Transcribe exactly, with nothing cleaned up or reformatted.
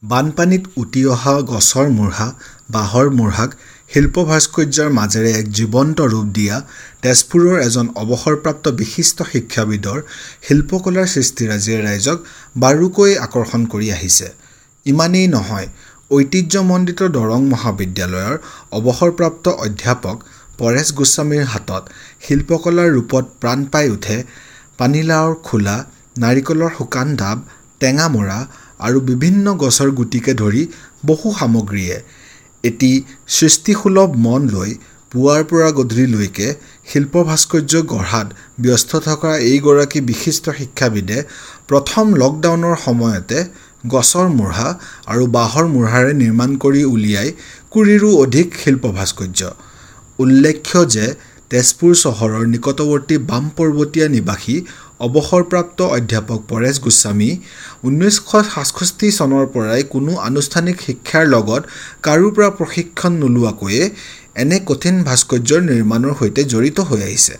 বানপানীত উটি অহা গছৰ মূঢ়া, বাঁহৰ মূঢ়াক শিল্প ভাস্কৰ্যৰ মাজেৰে এক জীৱন্ত ৰূপ দিয়া তেজপুৰৰ এজন অৱসৰপ্ৰাপ্ত বিশিষ্ট শিক্ষাবিদৰ শিল্পকলাৰ সৃষ্টিৰাজিয়ে ৰাইজক বাৰুকৈয়ে আকৰ্ষণ কৰি আহিছে। ইমানেই নহয়, ঐতিহ্যমণ্ডিত দৰং মহাবিদ্যালয়ৰ অৱসৰপ্ৰাপ্ত অধ্যাপক পৰেশ গোস্বামীৰ হাতত শিল্পকলাৰ ৰূপত প্ৰাণ পাই উঠে পানীলাওৰ খোলা, নাৰিকলৰ শুকান ডাব, টেঙামৰা আৰু বিভিন্ন গছৰ গুটিকে ধৰি বহু সামগ্ৰীয়ে। এটি সৃষ্টিসুলভ মন লৈ পুৱাৰ পৰা গধূলিলৈকে শিল্প ভাস্কৰ্য গঢ়াত ব্যস্ত থকা এইগৰাকী বিশিষ্ট শিক্ষাবিদে প্ৰথম লকডাউনৰ সময়তে গছৰ মূঢ়া আৰু বাঁহৰ মূঢ়াৰে নিৰ্মাণ কৰি উলিয়াই কুৰিৰো অধিক শিল্প ভাস্কৰ্য। উল্লেখ্য যে তেজপুৰ চহৰৰ নিকটৱৰ্তী বামপৰ্বতীয়া নিবাসী অৱসৰপ্ৰাপ্ত অধ্যাপক পৰেশ গোস্বামী ঊনৈছশ সাতষষ্ঠি চনৰ পৰাই কোনো আনুষ্ঠানিক শিক্ষাৰ লগত কাৰো পৰা প্ৰশিক্ষণ নোলোৱাকৈয়ে এনে কঠিন ভাস্কৰ্য নিৰ্মাণৰ সৈতে জড়িত হৈ আহিছে।